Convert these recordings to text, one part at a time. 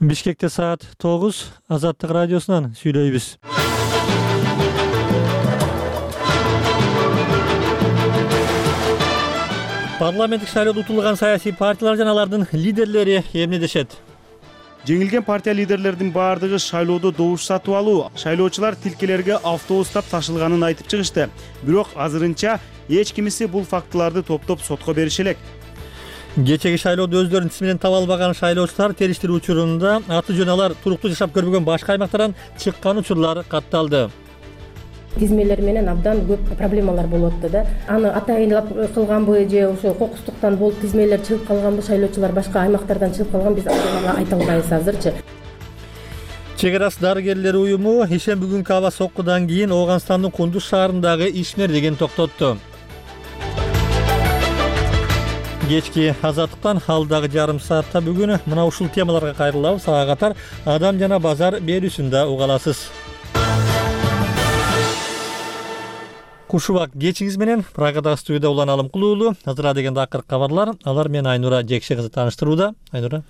Бишкекте саат 9, Азаттык радиосунан сүйлөйбүз. Парламенттик шайлоодо утулган саясий партиялар жана алардын лидерлери эмнедешет? Жеңилген партия лидерлердин баардыгы шайлоодо добуш сатып алуу, шайлоочулар тилкелерге автобустап ташылганын айтып чыгышты. Бирок азырынча эч кимиси бул фактыларды топтоп сотко бериши элек. Кечеги шайлоодо өздөрүнүн тизминен таба албаган шайлоочулар териштирүү учурунда аты жөнү алар туруктуу жашап көрбөгөн башка аймактардан чыккан учурлар катталды. Тизмелер менен абдан көп проблемалар болуп атты да. Аны атайынлап кылганбы же ошо кокустуктан болуп тизмелер чыгып калганбы, шайлоочулар башка аймактардан чыгып калган, биз айта албайбыз азырчы. Чек арасы дарыгерлер уюму ишемби күнкү аба соккудан кийин Ооганстандын Кундуз шаарындагы ишмерлигин токтотту. Кечки Азаттыктан алдагы жарым саатта бүгүн мына ушул темаларга кайрылабыз. Ага катар адам жана базар берүүсүндө уга аласыз. Кушубак кечиңиз менен Прагадагы студияда Улан Алымкулуулу. Азыр дегенде акыркы кабарлар. Алар мени Айнура Жекше кызы тааныштырууда. Айнура.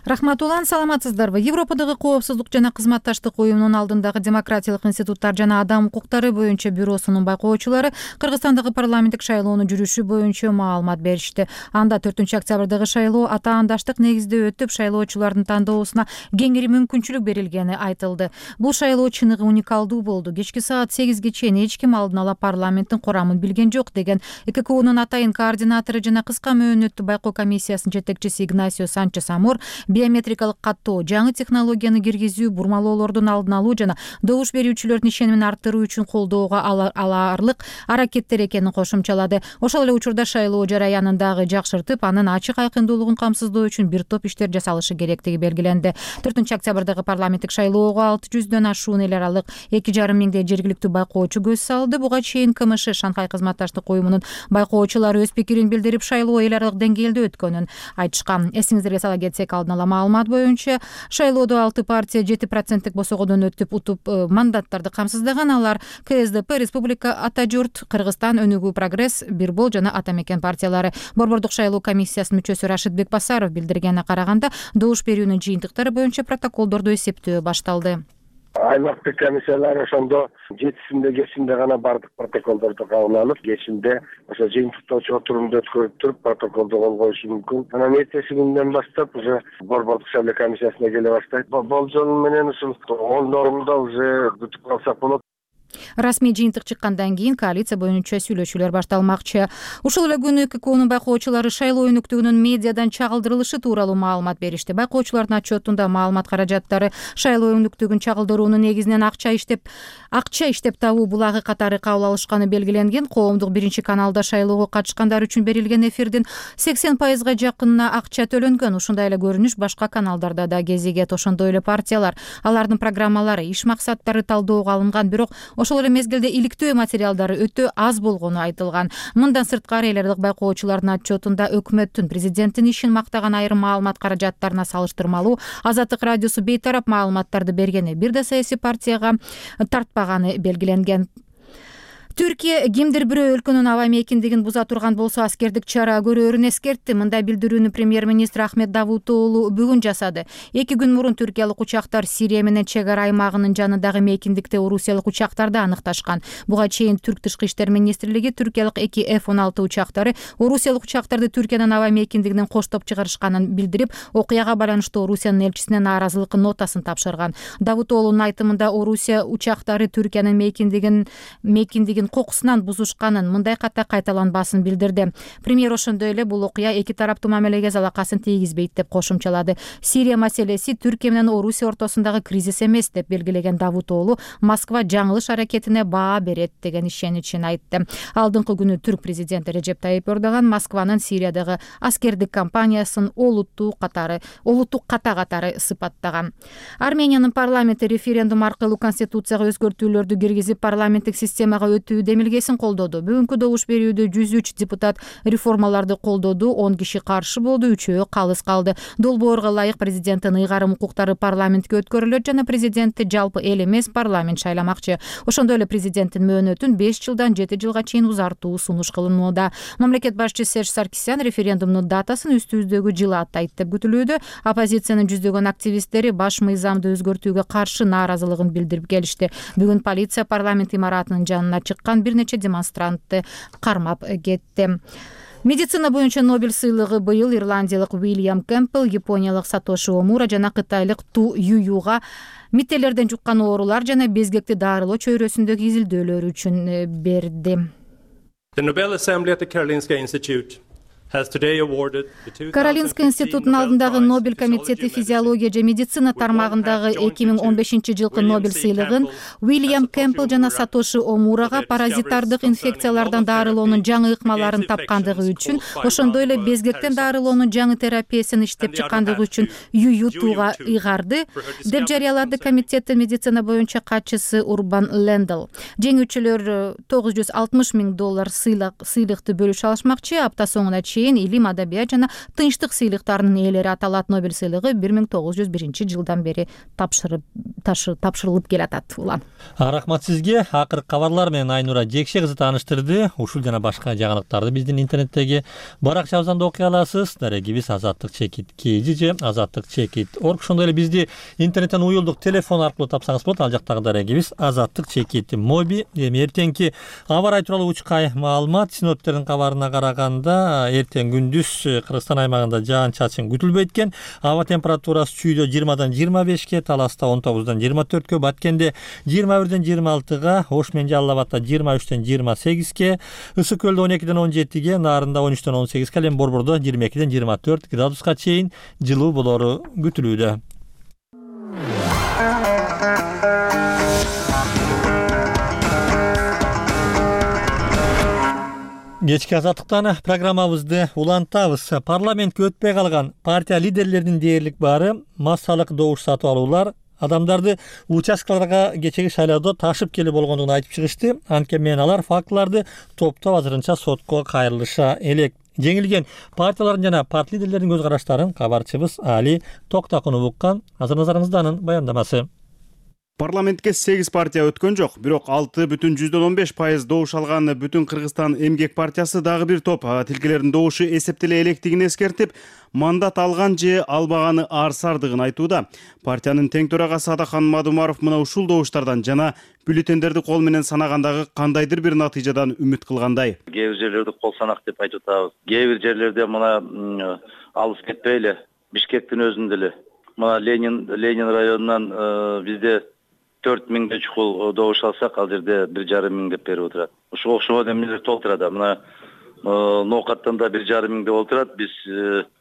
Рахмат Улан, саламатсыздарбы? Европадагы коопсуздук жана кызматташтык уюмунун алдындагы демократиялык институттар жана адам укуктары боюнча бюросунун байкоочулары Кыргызстандагы парламенттик шайлоону жүрүшү боюнча маалымат беришти. Анда 4-октябрдагы шайлоо атаандаштык негизде өтүп, шайлоочулардын тандоосуна кеңири мүмкүнчүлүк берилгени айтылды. Бул шайлоо чыныгы уникалдуу болду. Кечки саат 8ге чейин эч ким алдын ала парламенттин курамын билген жок деген ЭККУнун атайын координатору жана кыска мөөнөттүү байкоо комиссиясынын жетекчиси Игнасио Санчес Амор биометрикалык каттоо, жаңы технологияны киргизүү, бурмалоолордун алдын алуу жана добуш берүүчүлөрдүн ишенимин арттыруу үчүн колдоого аларлык аракеттер экенин кошумчалады. Ошол эле учурда шайлоо жараянын дагы жакшыртып, анын ачык айкындуулугун камсыздоо үчүн бир топ иштер жасалышы керектиги белгиленди. 4-октябрдагы парламенттик шайлоого 600дөн ашуун эл аралык 2,5 миңдей жергиликтүү байкоочу көз салды. Буга чейин КМШ Шанхай кызматташтык уюмунун байкоочулары өз пикирин билдирип, шайлоо эл аралык деңгээлде өткөнүн айтышкан. Эсиңиздерге сала кетсек, алдын ала маалымат боюнча шайлоодо 6 партия 7% босогодон өтүп утуп мандаттарды камсыздаган. Алар КСДП, Республика Ата журт, Кыргызстан, Өнүгүү Прогресс, Бирбол жана Ата мекен партиялары. Борбордук шайлоо комиссиясынын мүчөсү Рашид Бекбасаров билдиргенине караганда, добуш берүүнүн жыйынтыктары боюнча протоколдорду эсептөө башталды. Аймактык комиссиялар ошондо 7-синде кечинде гана бардык протоколдорду кабыл алып, кечинде ошо жыйынтыктоочу отурумду өткөрүп туруп протоколду кол коюшу мүмкүн. Анан эртеси күндөн баштап уже борбордук шайлоо комиссиясына келе баштайт. Болжол менен ушул 10 нормалда уже бүтүп калсак болот. Расмий жыйынтык чыккандан кийин коалиция боюнча сүйлөшүүлөр башталмакчы. Ушул эле күнү ККУнун байкоочулары шайлоо өнүктүгүнүн медиадан чагылдырылышы тууралуу маалымат беришти. Байкоочулардын отчетунда маалымат каражаттары шайлоо өнүктүгүн чагылдыруунун негизинен акча иштеп табуу булагы катары кабыл алышканы белгиленген. Коомдук биринчи каналда шайлоого катышкандар үчүн берилген эфирдин 80%га жакынына акча төлөнгөн. Ушундай эле көрүнүш башка каналдарда да кезигет. Ошондой эле партиялар, алардын программалары, иш максаттары талдоого алынган, бирок ошол эле мезгилде иликтөө материалдары өтө аз болгону айтылган. Мындан сырткары эл аралык байкоочулардын отчетунда өкмөттүн, президенттин ишин мактаган айрым маалымат каражаттарына салыштырмалуу Азаттык радиосу бейтарап маалыматтарды бергени, бир да саясий партияга тартпаганы белгиленген. Түркия кимдир бирөө өлкөнүн аба мейкиндигин буза турган болсо аскердик чара көрөөрүн эскертти. Мындай билдирүүнү премьер-министр Ахмет Давутоглу бүгүн жасады. 2 күн мурун түркиялык учактар Сирия менен чек ара аймагынын жанындагы мейкиндикте орусиялык учактарды аныкташкан. Буга чейин Түрк тышкы иштер министрлиги түркиялык 2 F-16 учактары орусиялык учактарды Түркиянын аба мейкиндигинен коштоп чыгарышканын билдирип, окуяга байланыштуу Орусиянын элчисине нааразылык нотасын тапшырган. Давутоглунун айтымында Орусия учактары Түркиянын мейкиндигин кокусунан бузушканын, мындай ката кайталанбасын билдирди. Премьер ошондой эле бул окуя эки тараптуу мамилеге залакасын тийгизбейт деп кошумчалады. Сирия маселеси Түркия менен Орусия ортосундагы кризис эмес деп белгилеген Давутоглу, Москва жаңылыш аракетине баа берет деген ишеничин айтты. Алдыңкы күнү түрк президенти Режеп Тайип Эрдоган Москванын Сириядагы аскердик кампаниясын олуттуу ката катары сыпаттаган. Армениянын парламенти референдум аркылуу конституцияга өзгөртүүлөрдү киргизип, парламенттик системага өтүү өтүү демилгесин колдоду. Бүгүнкү добуш берүүдө 103 депутат реформаларды колдоду, 10 киши каршы болду, 3-өө калыс калды. Долбоорго ылайык президенттин ыйгарым укуктары парламентке өткөрүлөт жана президентти жалпы эл эмес парламент шайламакчы. Ошондой эле президенттин мөөнөтүн 5 жылдан 7 жылга чейин узартуу сунуш кылынууда. Мамлекет башчысы Серж Саркисян референдумдун датасын үстүбүздөгү жылы атайт деп күтүлүүдө. Оппозициянын жүздөгөн активисттери баш мыйзамды өзгөртүүгө каршы нааразылыгын билдирип келишти. Бүгүн полиция парламент имаратынын жанына чыккан бир нече демонстрантты кармап кетти. Медицина боюнча Нобель сыйлыгы быйыл ирландиялык Уильям Кэмпбелл, япониялык Сатоши Омура жана кытайлык Ту Ююга миттелерден жуккан оорулар жана безгекти дарылоо чөйрөсүндөгү изилдөөлөрү үчүн берди. The Nobel Assembly at the Karolinska Institute has today awarded the 2016 Каролинска институтунун алдындагы Нобель комитети физиология же медицина тармагындагы 2015 жылкы Нобель сыйлыгын Уильям Кэмпбелл жана Сатоши Омурага паразитардык инфекциялардан дарылоонун жаңы ыкмаларын тапкандыгы үчүн, ошондой эле безгектен дарылоонун жаңы терапиясын иштеп чыккандыгы үчүн Юютуга ыйгарды, деп жарыялады комитеттин медицина боюнча катчысы Урбан Лендл. Жеңүүчүлөр $960 000 сыйлыкты бөлүшө алышмакчы. Апта соңуна илим, адабият жана тынчтык сыйлыктарынын ээлери аталат. Нобель сыйлыгы 1901 жылдан бери тапшырылып келатат. Улан. Рахмат сизге. Акыркы кабарлар менен Айнура Жекше кызы тааныштырды. Ушул жана башка жаңылыктарды биздин интернеттеги баракчабыздан да окуй аласыз. Дарегибиз азаттык чекит kg же азаттык чекит org. Ошондой эле бизди интернеттен уюлдук телефон аркылуу тапсаңыз болот. Ал жактагы дарегибиз азаттык чекит моби. Эми эртеңки аба ырайы тууралуу учкай маалымат синоптиктердин кабарына караганда эртең күндүз Кыргызстан аймагында жаан-чачын күтүлбөйт экен. Аба температурасы Чүйдө 20-дан 25-ке, Таласта 19-дан 24-кө, Баткенде 21-ден 26-га, Ош менен Жалал Абадта 23-ден 28-ке, Ысык Көлдө 12-ден 17-ге, Нарында 13-ден 18-ке, ал эми Борбордо 22-ден 24 градуска чейин жылуу болору күтүлүүдө. Кечки азаттыктан программабызды улантабыз. Парламентке өтпөй калган партия лидерлеринин дээрлик баары массалык добуш сатып алуулар адамдарды участкаларга кечеги шайлоодо ташып келип болгондугун айтып чыгышты. Анткени менен алар фактыларды топтоп азырынча сотко кайрылыша элек. Жеңилген партиялардын жана парт лидерлеринин көз караштарын кабарчыбыз Али Токтакунов уккан. Азыр назарыңызда анын баяндамасы. Парламентке 8 партия өткөн жок, бирок 6,15% добуш алган Бүтүн Кыргызстан эмгек партиясы дагы бир топ тилкелердин добушу эсептеле электигин эскертип, мандат алган же албаганы арсардыгын айтууда. Партиянын тең төрагасы Адахан Мадумаров мына ушул добуштардан жана бюллетендерди кол менен санагандагы кандайдыр бир натыйжадан үмүт кылгандай. Кээ бир жерлерде кол санак деп айтып атабыз. Кээ бир жерлерде мына алыс кетпей эле Бишкектин өзүндө эле мына Ленин районунан бизде 4000 чукул добуш алсак, ал жерде 1,5 деп берип отурат. Ушуга окшогон эмелер толтурат. Мына Ноокаттан да 1,5 деп отурат. Биз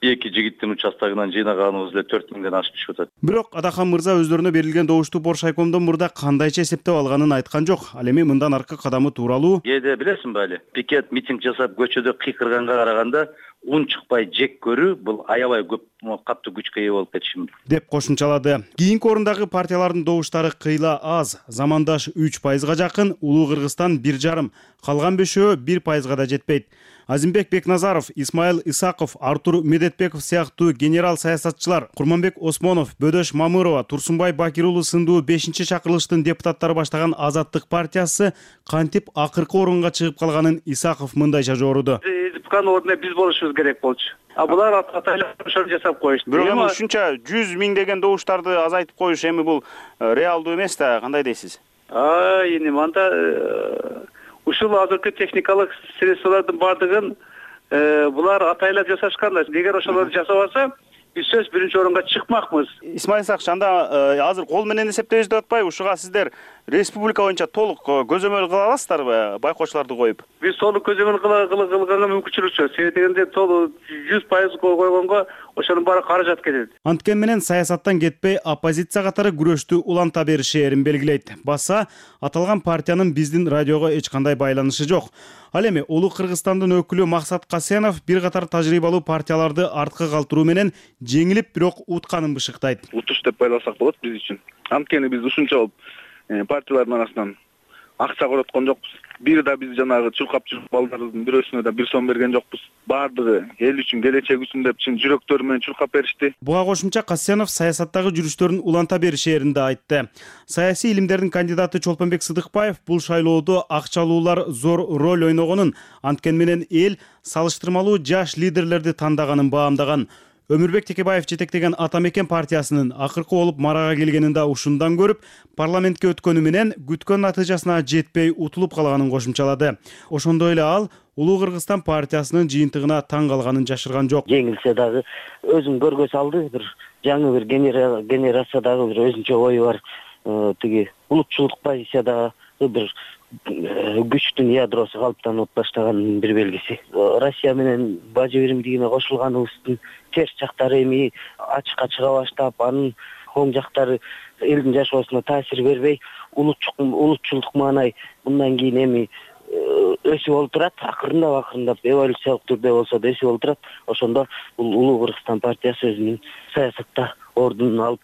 эки жигиттин участогунан жыйнаганыбыз эле 4000ден ашып түшүп атат. Бирок Адахан мырза өздөрүнө берилген добушту Борш айкомдон мурда кандайча эсептеп алганын айткан жок. Ал эми мындан аркы кадамы тууралуу. Кээде билесиңби али? Пикет митинг жасап көчөдө кыйкырганга караганда ун чыкпай жек көрүү бул аябай көп катуу күчкө ээ болуп кетиши мүмкүн деп кошумчалады. Кийинки орундагы партиялардын добуштары кыйла аз. Замандаш 3%га жакын, Улуу Кыргызстан 1,5, калган 5-өө 1%га да жетпейт. Азимбек Бекназаров, Исмаил Исаков, Артур Медетбеков сыяктуу генерал саясатчылар, Курманбек Осмонов, Бөдөш Мамырова, Турсунбай Бакир уулу сындуу 5-чакырылыштын депутаттары баштаган Азаттык партиясы кантип акыркы орунга чыгып калганын Исаков мындайча жоруду. Ордуна биз болушубуз керек болчу. Булар атайлап ошону жасап коюшту. Бирок эми ушунча 100 000 деген добуштарды азайтып коюш эми бул реалдуу эмес да, кандай дейсиз? Эми анда ушул азыркы техникалык средстволордун бардыгын булар атайлап жасашкан. Эгер ошолорду жасабаса, биз сөз биринчи орунга чыкмакмыз. Исмаил Сакч, анда азыр кол менен эсептейбиз деп атпайбы? Ушуга сиздер республика боюнча толук көзөмөл кыла аласыздарбы, байкоочуларды коюп? Биз толук көзөмөл кылганга мүмкүнчүлүк жок. Себеби дегенде толук 100% койгонго ошонун баары каражат кетет. Анткени менен саясаттан кетпей оппозиция катары күрөштү уланта беришээрин белгилейт. Баса аталган партиянын биздин радиого эч кандай байланышы жок. Ал эми Улуу Кыргызстандын өкүлү Максат Касенов бир катар тажрыйбалуу партияларды артка калтыруу менен жеңилип, бирок утканын бышыктайт. Утуш деп байласак болот биз үчүн. Анткени биз ушунча партиялардын арасынан акча короткон жокпуз. Бир да биз жанагы чуркап жүрүп балдарыбыздын бирөөсүнө да 1 сом берген жокпуз. Бардыгы эл үчүн, келечек үчүн деп чын жүрөктөрү менен чуркап беришти. Буга кошумча Касьянов саясаттагы жүрүштөрүн уланта беришээрин да айтты. Саясий илимдердин кандидаты Чолпонбек Сыдыкбаев бул шайлоодо акчалуулар зор роль ойногонун, анткени менен эл салыштырмалуу жаш лидерлерди тандаганын баамдаган. Өмүрбек Текебаев жетектеген Ата Мекен партиясынын акыркы болуп марага келгенин да ушундан көрүп, парламентке өткөнү менен күткөн натыйжасына жетпей утулуп калганын кошумчалады. Ошондой эле ал Улуу Кыргызстан партиясынын жыйынтыгына таң калганын жашырган жок. Жеңилсе дагы өзүн көргө салды, бир жаңы бир генерациядагы бир өзүнчө ою бар, тиги улутчулдук позициядагы бир күчтүн ядросу калыптанып баштаганын бир белгиси. Россия менен бажы биримдигине кошулганыбыздын терс жактары эми ачыкка чыга баштап, анын оң жактары элдин жашоосуна таасир бербей, улутчулдук маанай мындан кийин эми өсүп олтурат, акырындап эволюциялык түрдө болсо да өсүп олтурат. Ошондо бул Улуу Кыргызстан партиясы өзүнүн саясатта ордунун алып,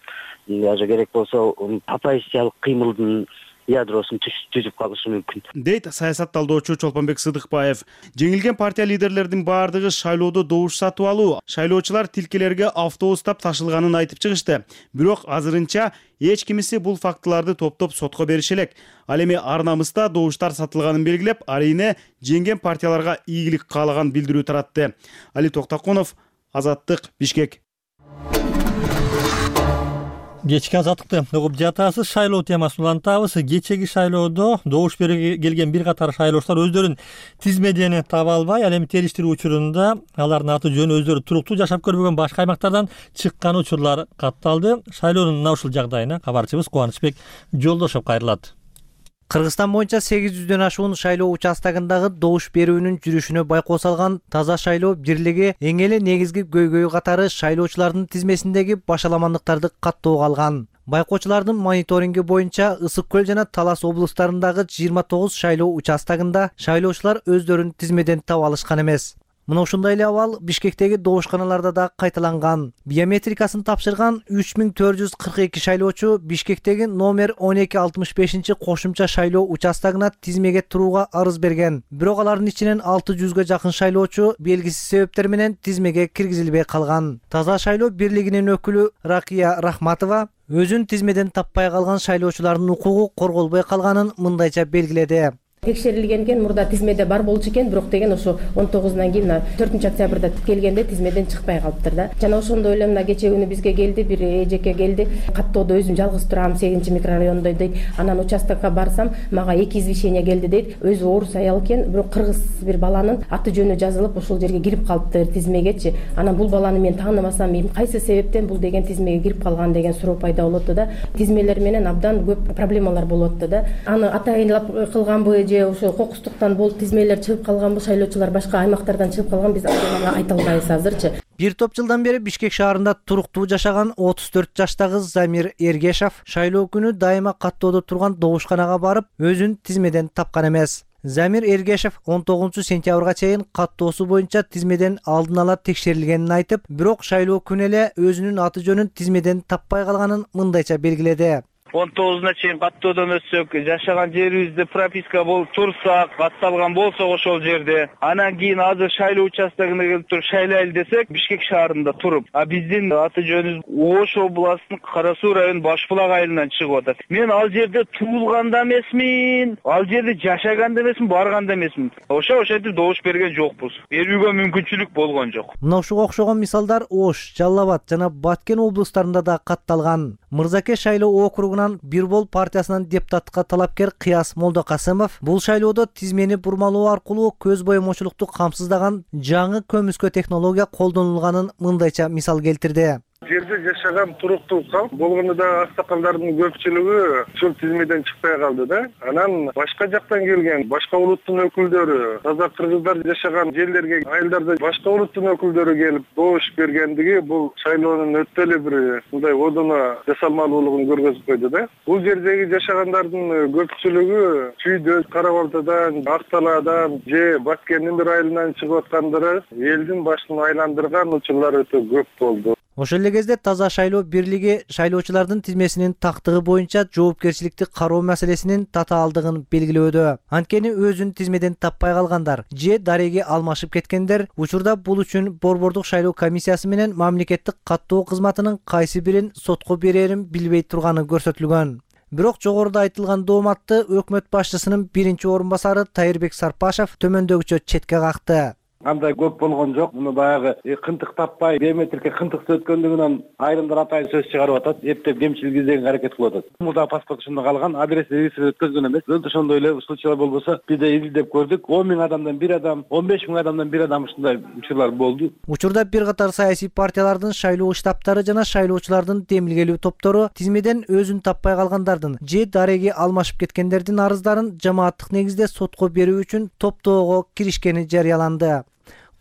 даже керек болсо оппозициялык кыймылдын ядросун түзүп калышы мүмкүн, дейт саясат талдоочу Чолпонбек Сыдыкбаев. Жеңилген партия лидерлердин баардыгы шайлоодо добуш сатып алуу, шайлоочулар тилкелерге автобустап ташылганын айтып чыгышты. Бирок азырынча эч кимиси бул фактыларды топтоп сотко бериши элек. Ал эми ар намыста добуштар сатылганын белгилеп, арийне жеңген партияларга ийгилик каалаган билдирүү таратты. Али Токтокунов, Азаттык, Бишкек. Кечки азаттыкты угуп жатасыз. Шайлоо темасын улантабыз. Кечеги шайлоодо добуш берүүгө келген бир катар шайлоочулар өздөрүн тизмеден таба албай, ал эми териштирүү учурунда алардын аты жөнү өздөрү туруктуу жашап көрбөгөн башка аймактардан чыккан учурлар катталды. Шайлоонун мына ушул жагдайына кабарчыбыз Кубанычбек Жолдошов кайрылат. Кыргызстан боюнча 800дөн ашуун шайлоо участогундагы добуш берүүнүн жүрүшүнө байкоо салган Таза шайлоо бирлиги эң эле негизги көйгөй катары шайлоочулардын тизмесиндеги башаламандыктарды каттоого алган. Байкоочулардын мониторинги боюнча Ысык Көл жана Талас облустарындагы 29 шайлоо участогунда шайлоочулар өздөрүн тизмеден таба алышкан эмес. Мына ушундай эле абал Бишкектеги добушканаларда да кайталанган. Биометрикасын тапшырган 3442 шайлоочу Бишкектеги номер 1265 кошумча шайлоо участогуна тизмеге турууга арыз берген. Бирок алардын ичинен 600га жакын шайлоочу белгисиз себептер менен тизмеге киргизилбей калган. Таза шайлоо бирлигинин өкүлү Ракия Рахматова өзүн тизмеден таппай калган шайлоочулардын укугу корголбой калганын мындайча белгиледи. Текшерилген экен, мурда тизмеде бар болчу экен, бирок деген ошо 19-нан кийин 4-октябрда келгенде тизмеден чыкпай калыптыр да. Жана ошондой эле мына кече күнү бизге келди, бир эжеке келди. Каттоодо өзүм жалгыз турам, 8-микрорайондо дейт. Анан участокко барсам, мага 2 извещение келди дейт. Өзү орус аял экен, бирок кыргыз бир баланын аты жөнү жазылып, ошол жерге кирип калыптыр тизмегечи. Анан бул баланы мен таанымасам, кайсы себептен бул деген тизмеге кирип калган деген суроо пайда болот да. Тизмелер менен абдан көп проблемалар болот да. Аны атайынлап кылганбы, ошо кокустуктан болуп тизмелер чыгып калганбы, шайлоочулар башка аймактардан чыгып калган, биз айта албайбыз азырчы. Бир топ жылдан бери Бишкек шаарында туруктуу жашаган 34 жаштагы Замир Эргешов шайлоо күнү дайыма каттоодо турган добушканага барып, өзүн тизмеден тапкан эмес. Замир Эргешов 19-сентябрга чейин каттоосу боюнча тизмеден алдын ала текшерилгенин айтып, бирок шайлоо күнү эле өзүнүн аты жөнүн тизмеден таппай калганын мындайча белгиледи. 19-на чейин каттоодон өтсөк, жашаган жерибизде прописка болуп турса, катталган болсо ошол жерде, анан кийин азыр шайлоо участогуна келип туруп шайлайлы десек, Бишкек шаарында туруп, биздин аты жөнүбүз Ош областынын Кара Суу районунун Башбулак айылынан чыгып атат. Мен ал жерде туулган да эмесмин, ал жерде жашаган да эмесмин, барган да эмесмин. Ошентип добуш берген жокпуз. Берүүгө мүмкүнчүлүк болгон жок. Мына ушуга окшогон мисалдар Ош, Жалал Абад жана Баткен облустарында да катталган. Мырзаке шайлоо округунан Бирбол партиясынын депутатка талапкер Кыяс Молдокасымов бул шайлоодо тизмени бурмалоо аркылуу көз боемочулукту камсыздаган жаңы көмүскө технология колдонулганын мындайча мисал келтирди. Жерде жашаган туруктуу калп болгондо да аксакалдардын көпчүлүгү ушул тизмеден чыкпай калды да. Анан башка жактан келген башка улуттун өкүлдөрү, таза кыргыздар жашаган жерлерге, айылдарда башка улуттун өкүлдөрү келип добуш бергендиги бул шайлоонун өтө эле бир мындай одоно жасалмалуулугун көргөзүп койду да. Бул жердеги жашагандардын көпчүлүгү Чүйдө, Кара Балтадан, Ак Талаадан же Баткендин бир айылынан чыгып аткандары элдин башын айландырган учурлар өтө көп болду. Ошол эле кезде Таза шайлоо бирлиги шайлоочулардын тизмесинин тактыгы боюнча жоопкерчиликти кароо маселесинин татаалдыгын белгилөөдө. Анткени өзүн тизмеден таппай калгандар же дареги алмашып кеткендер учурда бул үчүн Борбордук шайлоо комиссиясы менен мамлекеттик каттоо кызматынын кайсы бирин сотко берерин билбей турганы көрсөтүлгөн. Бирок жогоруда айтылган дооматты өкмөт башчысынын биринчи орун басары Тайырбек Сарпашев төмөндөгүчө четке какты. Андай көп болгон жок. Муну баягы кынтык таппай, биометрикке кынтыксыз өткөндүгүнөн айрымдар атайын сөз чыгарып атат. Эптеп кемчилик издегенге аракет кылып атат. Мурда паспорт ушунда калган, адреси регистрация өткөзгөн эмес. Өлтү ошондой эле случайлар болбосо, бизде изилдеп көрдүк. 10 000 адамдан бир адам, 15 000 адамдан бир адам ушундай учурлар болду. Учурда бир катар саясий партиялардын шайлоо штабтары жана шайлоочулардын демилгелүү топтору тизмеден өзүн таппай калгандардын же дареги алмашып кеткендердин арыздарын жамааттык негизде сотко берүү үчүн топтоого киришкени жарыяланды.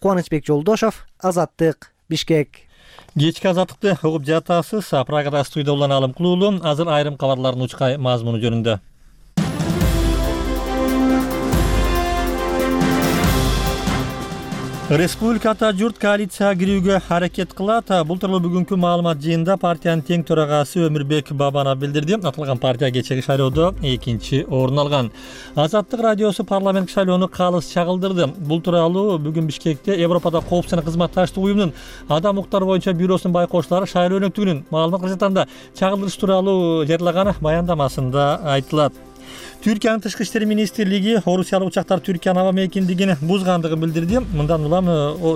Кубанычбек Жолдошов, Азаттык, Бишкек. Кечки азаттыкты угуп жатасыз. Программа студияда улан Алым Кулуулу. Азыр айрым кабарлардын учкай мазмуну жөнүндө. Республикада журт коалицияга кирүүгө аракет кылат. Бул тууралуу бүгүнкү маалымат жыйынында партиянын тең төрагасы Өмүрбек Бабанов билдирди. Аталган партия кечеги шайлоодо 2-чи орун алган. Азаттык радиосу парламенттик шайлоону калыс чагылдырды. Бул тууралуу бүгүн Бишкекте Европада коопсуз жана кызматташтык уюмунун адам укуктары боюнча бюросунун байкоочулары шайлоо өнөктүгүнүн маалымат кызматында чагылдырыш тууралуу жарыялаган баяндамасында айтылат. Түркиянын тышкы иштер министрлиги Орусиялык учактар Түркиянын аба мейкиндигин бузгандыгын билдирди. Мындан улам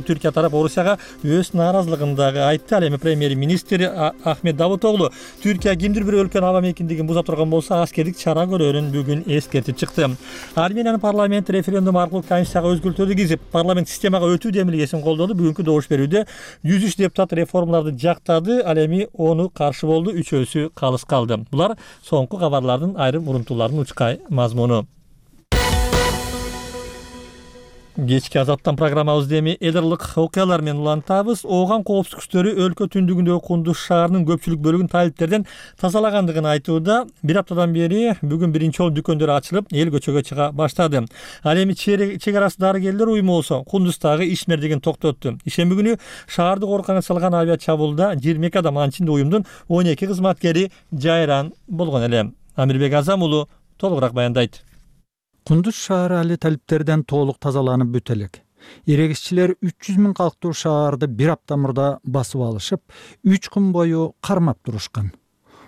Түркия тарап Орусияга өз нааразылыгын дагы айтты. Ал эми премьер-министр Ахмет Давутоглу Түркия кимдир бир өлкөнүн аба мейкиндигин буза турган болсо аскердик чара көрөрүн бүгүн эскертип чыкты. Армениянын парламенти референдум аркылуу Конституцияга өзгөртүүлөрдү киргизип, парламент системага өтүү демилгесин колдоду. Бүгүнкү добуш берүүдө 103 депутат реформаларды жактады. Ал эми ону каршы болду, 3-өсү калыс калды. Булар соңку кабарлардын айрым урунтууларынын учкай мазмуну. Кечки азаттан программабызды эми элдарлык окуялар менен улантабыз. Ооган коопсуздук күчтөрү өлкө түндүгүндөгү Кундуз шаарынын көпчүлүк бөлүгүн талиптерден тазалагандыгын айтууда. Бир аптадан бери бүгүн биринчи жолу дүкөндөр ачылып, эл көчөгө чыга баштады. Ал эми чек арасы дарыгерлер уюму болсо Кундуздагы ишмердигин токтотту. Ишемби күнү шаарды коркуганга салган авиа чабуулда 22 адам, анын ичинде уюмдун 12 кызматкери жайран болгон эле. Амирбек Азам уулу толугураак баяндайт. Кундуз шаары али талиптерден толук тазаланып бүт элек. Эрегисчилер 300 000 калктуу шаарды бир апта мурда басып алышып, 3 күн бою кармап турушкан.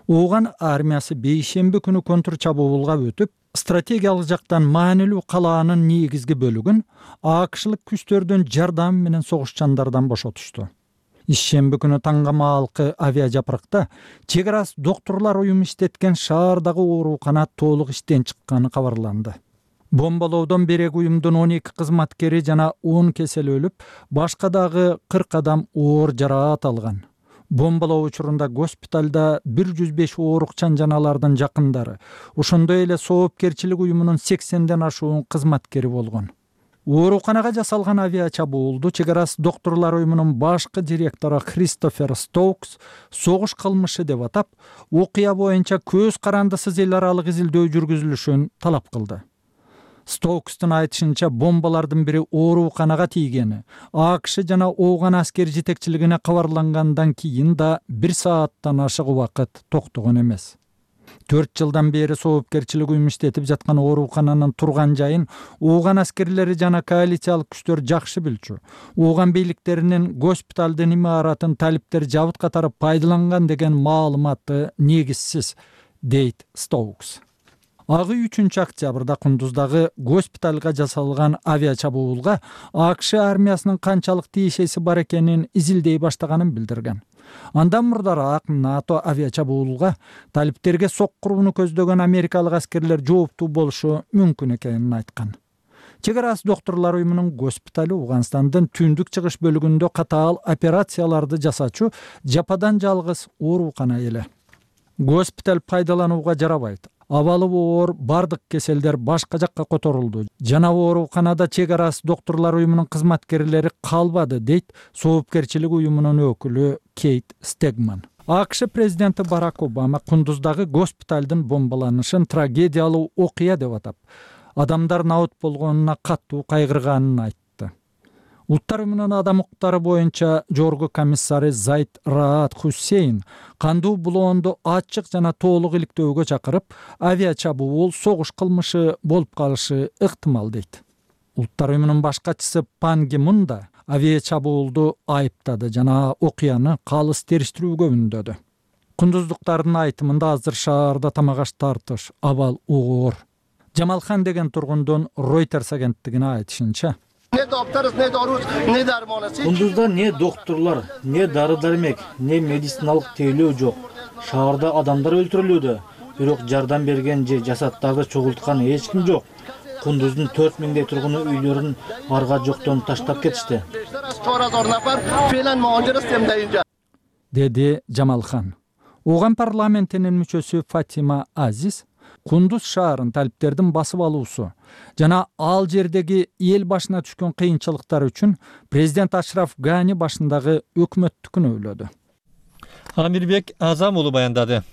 Ооган армиясы бейшемби күнү контр чабуулга өтүп, стратегиялык жактан маанилүү калаанын негизги бөлүгүн АКШлык күчтөрдүн жардамы менен согушчандардан бошотушту. Ишемби күнү таңга маалкы авиажапыракта чек арасы доктурлар уюму иштеткен шаардагы оорукана толук иштен чыкканы кабарланды. Бомбалоодон берек уюмдун 12 кызматкери жана 10 кесел өлүп, башка дагы 40 адам оор жараат алган. Бомбалоо учурунда госпиталда 105 оорукчан жаналардын жакындары, ошондой эле соопкерчилик уюмунун 80ден ашуун кызматкери болгон. Ооруканага жасалган авиа чабуулду чек арасы доктурлар уюмунун башкы директору Кристофер Стоукс согуш кылмышы деп атап, окуя боюнча көз карандысыз эл аралык изилдөө жүргүзүлүшүн талап кылды. Стоукстун айтышынча бомбалардын бири ооруканага тийгени, АКШ жана Ооган аскер жетекчилигине кабарлангандан кийин да 1 сааттан ашык убакыт токтогон эмес. 4 жылдан бери соопкерчилик уюм иштетип жаткан оорукананын турган жайын Ооган аскерлери жана коалициялык күчтөр жакшы билчү. Ооган бийликтеринин госпиталдын имаратын талиптер жабыт катары пайдаланган деген маалыматы негизсиз, дейт Стоукс. Агы 3 октябрда Кундуздагы госпиталга жасалган авиа чабуулга АКШ армиясынын канчалык тиешеси бар экенин изилдей баштаганын билдирген. Андан мурдараак НАТО авиа чабуулга талиптерге соккурууну көздөгөн америкалык аскерлер жооптуу болушу мүмкүн экенин айткан. Чек арасы доктурлар уюмунун госпитали Ооганстандын түндүк чыгыш бөлүгүндө катаал операцияларды жасачу жападан жалгыз оорукана эле. Госпиталь пайдаланууга жарабайт. Абалы оор бардык кеселдер башка жакка которулду. Жана ооруканада чек арасы доктурлар уюмунун кызматкерлери калбады, дейт соопкерчилик уюмунун өкүлү Кейт Стегман. АКШ президенти Барак Обама Кундуздагы госпиталдын бомбаланышын трагедиялуу окуя деп атап, адамдар наут болгонуна каттуу кайгырганын айтты. Улуттар уюмунун адам укуктары боюнча жогорку комиссары Зайд Раат Хусейн кандуу булоонду ачык жана толук иликтөөгө чакырып, авиа чабуул согуш кылмышы болуп калышы ыктымал дейт. Улуттар уюмунун баш катчысы Пан Ги Мун да авиа чабуулду айыптады жана окуяны калыс териштирүүгө үндөдү. Кундуздуктардын айтымында азыр шаарда тамак аш тартыш, абал оор. Жамалхан деген тургундун Reuters агенттигине айтышынча, Кундузда не доктурлар, не дары-дармек, не медициналык тейлөө жок. Шаарда адамдар өлтүрүлүүдө, бирок жардам берген же жасаттарды чогулткан эч ким жок. Кундуздун 4000 тургуну үйлөрүн арга жоктон таштап кетишти, деди Жамалхан. Оған парламентинин мүчөсү Фатима Азиз Кундуз шаарын талиптердин басып алуусу жана ал жердеги эл башына түшкөн кыйынчылыктар үчүн президент Ашраф Гани башындагы өкмөттү күнөөлөдү. Амирбек Азам уулу баяндады.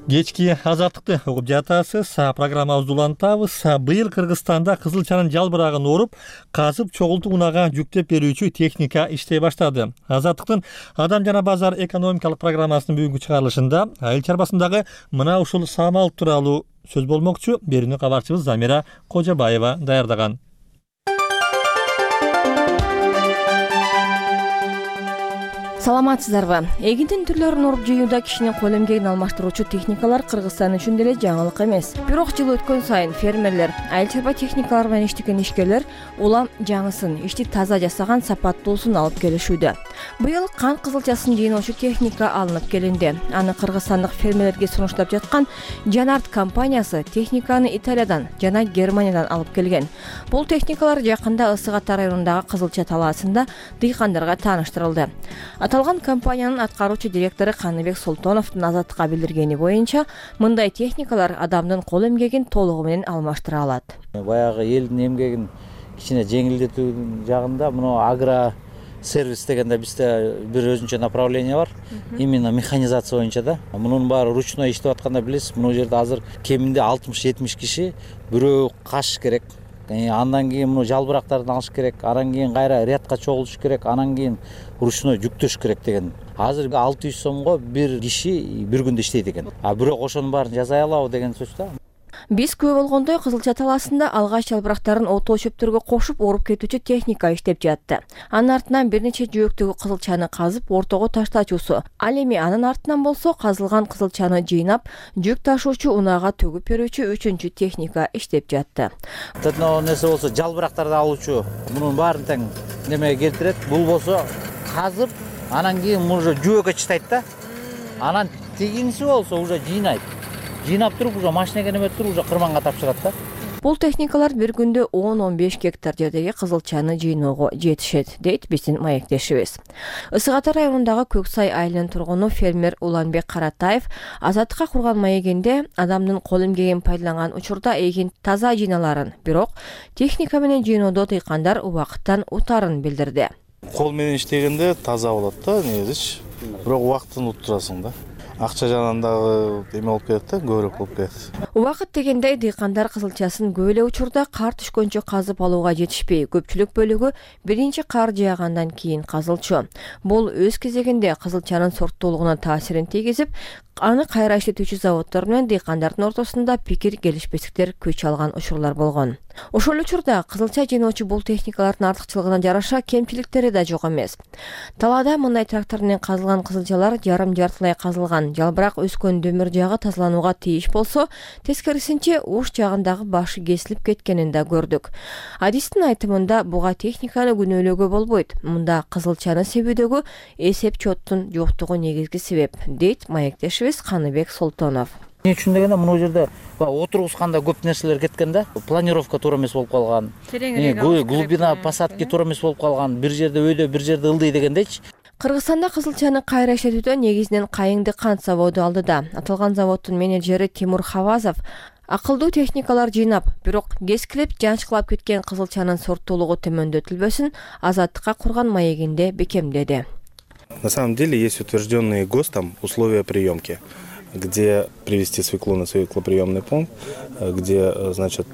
Кечки азаттыкты угуп жатасыз. Программабызды улантабыз. Быйыл Кыргызстанда кызылчанын жалбырагын оруп, казып чогултуу унага жүктөп берүүчү техника иштей баштады. Азаттыктын Адам жана базар экономикалык программасынын бүгүнкү чыгарылышында айыл чарбасындагы мына ушул самал тууралуу сөз болмокчу. Берүүнү кабарчыбыз Замира Кожобаева даярдаган. Саламатсыздарбы? Эгиндин түрлөрүн уруп жыюуда кишинин кол эмгегин алмаштыруучу техникалар Кыргызстан үчүн деле жаңылык эмес. Бирок жыл өткөн сайын фермерлер, айыл чарба техникалар менен иштеген ишкерлер улам жаңысын, ишти таза жасаган сапаттуусун алып келишүүдө. Быйыл кант кызылчасын жыйноочу техника алынып келинди. Аны кыргызстандык фермерлерге сунуштап жаткан Жанарт компаниясы техниканы Италиядан жана Германиядан алып келген. Бул техникалар жакында Ысык Ата районундагы Кызылча талаасында дыйкандарга тааныштырылды. Аталган компаниянын аткаруучу директору Каныбек Султоновдун Азаттыкка билдиргени боюнча, мындай техникалар адамдын кол эмгегин толугу менен алмаштыра алат. Баягы элдин эмгегин кичине жеңилдетүү жагында мына агро сервис дегенде бизде бир өзүнчө направление бар. Именно механизация боюнча да. Мунун баары ручной иштеп атканда билесиз, мына жерде азыр кеминде 60-70 киши бирөө каш керек. Андан кийин муну жалбырактарды алыш керек, анан кийин кайра рядка чогултуш керек, анан кийин ручной жүктөш керек деген. Азыр 600 сомго бир киши бир күндө иштейт экен. Бирок ошонун баарын жасай алабы деген сөз да. Биз күбө болгондой Кызылча талаасында алгач жалбырактарын отоо чөптөргө кошуп оруп кетүүчү техника иштеп жатты. Анын артынан бир нече жөөктөгү кызылчаны казып ортого таштачусу. Ал эми анын артынан болсо казылган кызылчаны жыйнап, жүк ташуучу унаага төгүп берүүчү үчүнчү техника иштеп жатты. Тетно нерсе болсо жалбырактарды алуучу мунун баарын тең немеге келтирет. Бул болсо казып, анан кийин уже жөөккө чыштайт да. Анан тигинси болсо уже жыйнайт. Жыйнап туруп уже машинеге неме туруп уже кырманга тапшырат да. Бул техникалар бир күндө 10-15 гектар жердеги кызылчаны жыйноого жетишет, дейт биздин маектешибиз. Ысык Ата районундагы Көксай айылынын тургуну фермер Уланбек Каратаев Азаттыкка курган маегинде адамдын кол эмгегин пайдаланган учурда эгин таза жыйналарын, бирок техника менен жыйноодо дыйкандар убакыттан утарын билдирди. Кол менен иштегенде таза болот да, негизичи. Бирок убакытын уттурасың да. Акча жанынан дагы эме болуп кетет да, көбүрөөк болуп кетет. Убакыт дегенде дыйкандар кызылчасын көп эле учурда кар түшкөнчө казып алууга жетишпей, көпчүлүк бөлүгү биринчи кар жаагандан кийин казылчу. Бул өз кезегинде кызылчанын сорттуулугуна таасирин тийгизип, аны кайра иштетүүчү заводдор менен дыйкандардын ортосунда пикир келишпестиктер күч алган учурлар болгон. Ошол учурда кызылча жыйноочу бул техникалардын артыкчылыгына жараша кемчиликтери да жок эмес. Талаада мындай трактор менен казылган кызылчалар жарым-жартылай казылган, жалбырак өскөн дөмөр жагы тазаланууга тийиш болсо, тескерисинче уш жагындагы башы кесилип кеткенин да көрдүк. Адистин айтымында буга техниканы күнөөлөөгө болбойт. Мында кызылчаны себүүдөгү эсеп чоттун жоктугу негизги себеп, дейт маектешибиз Каныбек Султонов. Эмне үчүн дегенде мына жерде отургусканда көп нерселер кеткен да. Планировка туура эмес болуп калган. Глубина посадки туура эмес болуп калган. Бир жерде өйдө, бир жерде ылдый дегендейчи. Кыргызстанда кызылчаны кайра иштетүүдө негизинен Кайыңды кант заводу алдыда. Аталган заводдун менеджери Тимур Хавазов акылдуу техникалар жыйнап, бирок кескилип, жанчкылап кеткен кызылчанын сорттуулугу төмөндөтүлбөсүн Азаттыкка курган маегинде бекемдеди. На самом деле есть утвержденные ГОСТом условия приемки. где привезти свеклу на свеклоприемный пункт, где, значит...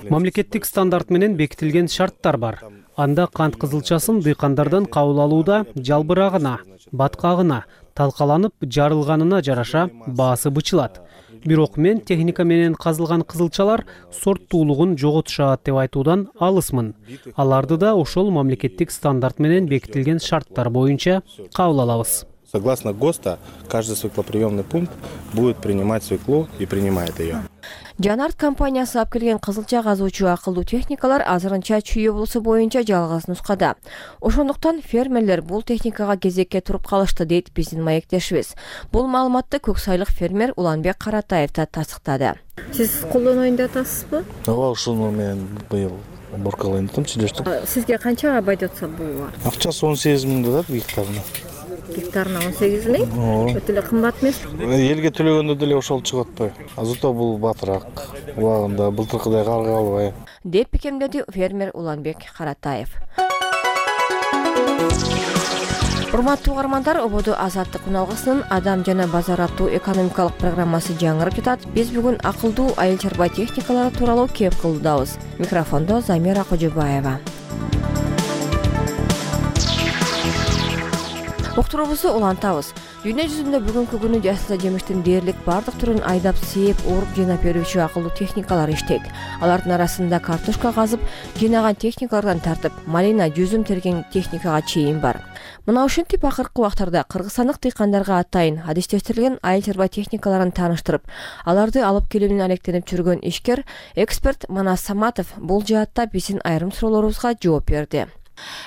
Мамлекеттик стандарт менен бекитилген шарттар бар. Анда кант кызылчасын дыйкандардан кабыл алууда жалбырагына, баткагына, талкаланып жарылганына жараша баасы бычылат. Бирок мен техника менен казылган кызылчалар сорттуулугун жоготушат деп айтуудан алысмын. Аларды да ошол мамлекеттик стандарт менен бекитилген шарттар боюнча кабыл алабыз. Согласно ГОСТа, каждый свеклоприемный пункт будет принимать свеклу и принимает ее. Жанарт компаниясы алып келген кызылча казуучу акылдуу техникалар азырынча Чүй облусу боюнча жалгыз нускада. Ошондуктан фермерлер бул техникага кезекке туруп калышты дейт биздин маектешибиз. Бул маалыматты Көксайлык фермер Уланбек Каратаев да тастыктады. Сиз колдоноюн деп атасызбы? Ооба, ушуну мен быйыл боркалайын дедим, чилештик. Сизге канчага байдатса бул? Акчасы 18 000 дадат гектарына. Гектарына 18 000? Өтө эле кымбат эмес? Элге төлөгөндө деле ошол чыгып атпайбы? Азырда бул батыраак. Убагында былтыркыдай карга албай. Деп бекемдеди фермер Уланбек Каратаев. Урматтуу угармандар, ободо Азаттык уналгысынын Адам жана базар аттуу экономикалык программасы жаңырып жатат. Биз бүгүн акылдуу айыл чарба техникалары тууралуу кеп кылдабыз. Микрофондо Замира Кожобаева. Уктуруубузду улантабыз. Дүйнө жүзүндө бүгүнкү күнү жасыл жемиштин дээрлик бардык түрүн айдап сээп, ооруп жыйнап берүүчү акылдуу техникалар иштейт. Алардын арасында картошка казып, жыйнаган техникалардан тартып, малина, жүзүм терген техникага чейин бар. Мына ушинтип акыркы убактарда кыргызстандык дыйкандарга атайын адистештирилген айыл чарба техникаларын тааныштырып, аларды алып келүү менен алектенип жүргөн ишкер, эксперт Манас Саматов бул жаатта биздин айрым суроолорубузга жооп берди.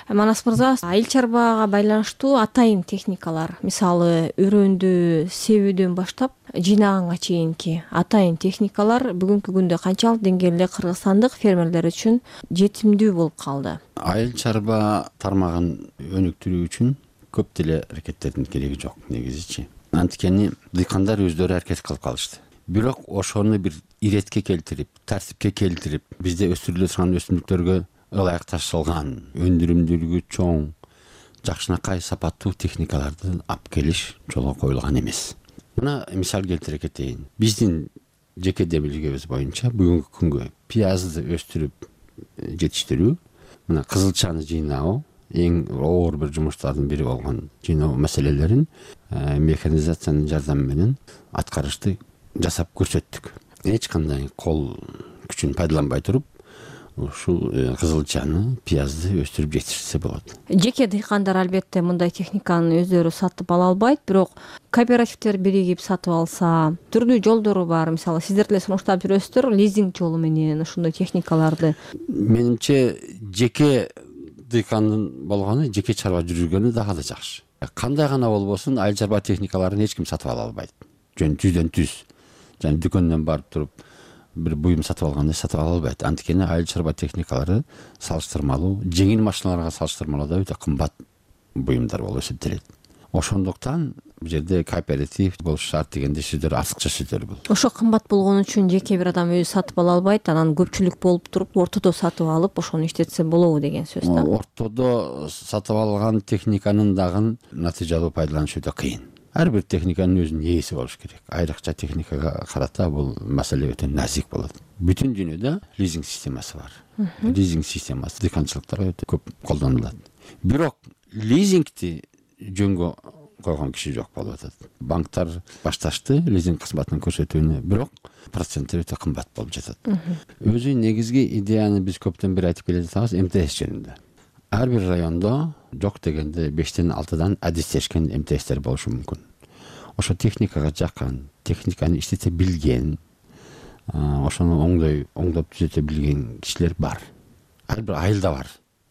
Манас мырза, айыл чарбага байланыштуу атайын техникалар, мисалы өрөөндү себүүдөн баштап жыйнаганга чейинки атайын техникалар бүгүнкү күндө канчалык деңгээлде кыргызстандык фермерлер үчүн жетимдүү болуп калды? Айыл чарба тармагын өнүктүрүү үчүн көп деле аракеттердин кереги жок негизичи. Анткени дыйкандар өздөрү аракет кылып калышты. Бирок ошону бир иретке келтирип, тартипке келтирип, бизде өстүрүлө турган өсүмдүктөргө ылайыкташылган, өндүрүмдүүлүгү чоң, жакшынакай сапаттуу техникаларды алып келиш жолго коюлган эмес. Мына мисал келтире кетейин. Биздин жеке демилгебиз боюнча бүгүнкү күнгө пиязды өстүрүп жетиштирүү, мына кызылчаны жыйноо эң оор бир жумуштардын бири болгон жыйноо маселелерин механизациянын жардамы менен аткарышты жасап көрсөттүк. Эч кандай кол күчүн пайдаланбай туруп ушул кызылчаны, пиязды өстүрүп жетишсе болот. Жеке дыйкандар албетте мындай техниканы өздөрү сатып ала албайт, бирок кооперативдер биригип сатып алса, түрдүү жолдору бар. Мисалы, сиздер деле сунуштап жүрөсүздөр лизинг жолу менен ушундай техникаларды. Менимче жеке дыйкандын болгону, жеке чарба жүргөнү дагы да жакшы. Кандай гана болбосун, айыл чарба техникаларын эч ким сатып ала албайт. Жүздөн түз. Жана дүкөндөн барып туруп бир буюм сатып алгандай сатып ала албайт. Анткени айыл чарба техникалары салыштырмалуу, жеңил машиналарга салыштырмалуу да өтө кымбат буюмдар болуп эсептелет. Ошондуктан бул жерде кооператив болуш шарт дегенде сөздөр артыкча сөздөр бул. Ошо кымбат болгон үчүн жеке бир адам өзү сатып ала албайт, анан көпчүлүк болуп туруп ортодо сатып алып, ошону иштетсе болобу деген сөз да. Ортодо сатып алган техниканын дагы натыйжалуу пайдаланыш өтө кыйын. Ар бир техниканын өзүнүн ээси болуш керек. Айрыкча техникага карата бул маселе өтө назик болот. Бүтүн дүйнөдө лизинг системасы бар. Лизинг системасы дыйканчылыкта өтө көп колдонулат. Бирок лизингти жөнгө койгон киши жок болуп атат. Банктар башташты лизинг кызматын көрсөтүүнү, бирок проценттер өтө кымбат болуп жатат. Өзү негизги идеяны биз көптөн бери айтып келе жатабыз МТС жөнүндө. Ар бир райондо жок дегенде 5-тен 6-дан адистешкен МТСтер болушу мүмкүн. Ошо техникага жакын, техниканы иштете билген, ошону оңдоп түзөтө билген кишилер бар. Ар бир айылда бар.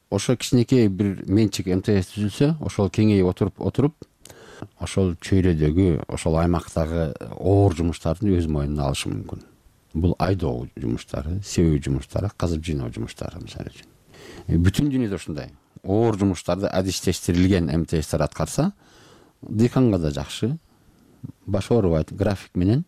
Ошо кичинекей бир менчик МТС түзүлсө, ошол кеңейип отуруп, ошол чөйрөдөгү, ошол аймактагы оор жумуштарды өз мойнуна алышы мүмкүн. Бул айдоо жумуштары, себүү жумуштары, казып жыйноо жумуштары мисалы үчүн. Бүтүн дүйнөдө ушундай оор жумуштарды адистештирилген МТСтер аткарса, дыйканга да жакшы, баш оорубайт, график менен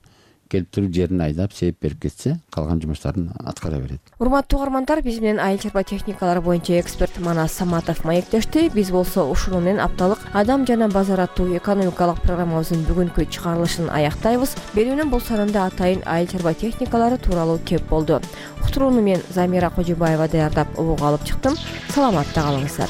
келип туруп жерин айдап сээп берип кетсе калган жумуштарын аткара берет. Урматтуу угармандар, биз менен айыл чарба техникалары боюнча эксперт Манас Саматов маектешти. Биз болсо ушуну менен апталык Адам жана базар аттуу экономикалык программабыздын бүгүнкү чыгарылышын аяктайбыз. Берүүнүн бул санында атайын айыл чарба техникалары тууралуу кеп болду. Уктурууну мен Замира Кожобаева даярдап угууга алып чыктым. Саламатта калыңыздар.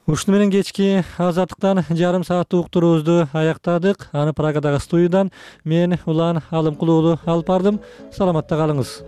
Ушуну менен кечки азаттыктан жарым сааттык уктуруубузду аяктадык. Аны Прагадагы студиядан мен Улан Алымкулуу алып бардым. Саламатта калыңыз.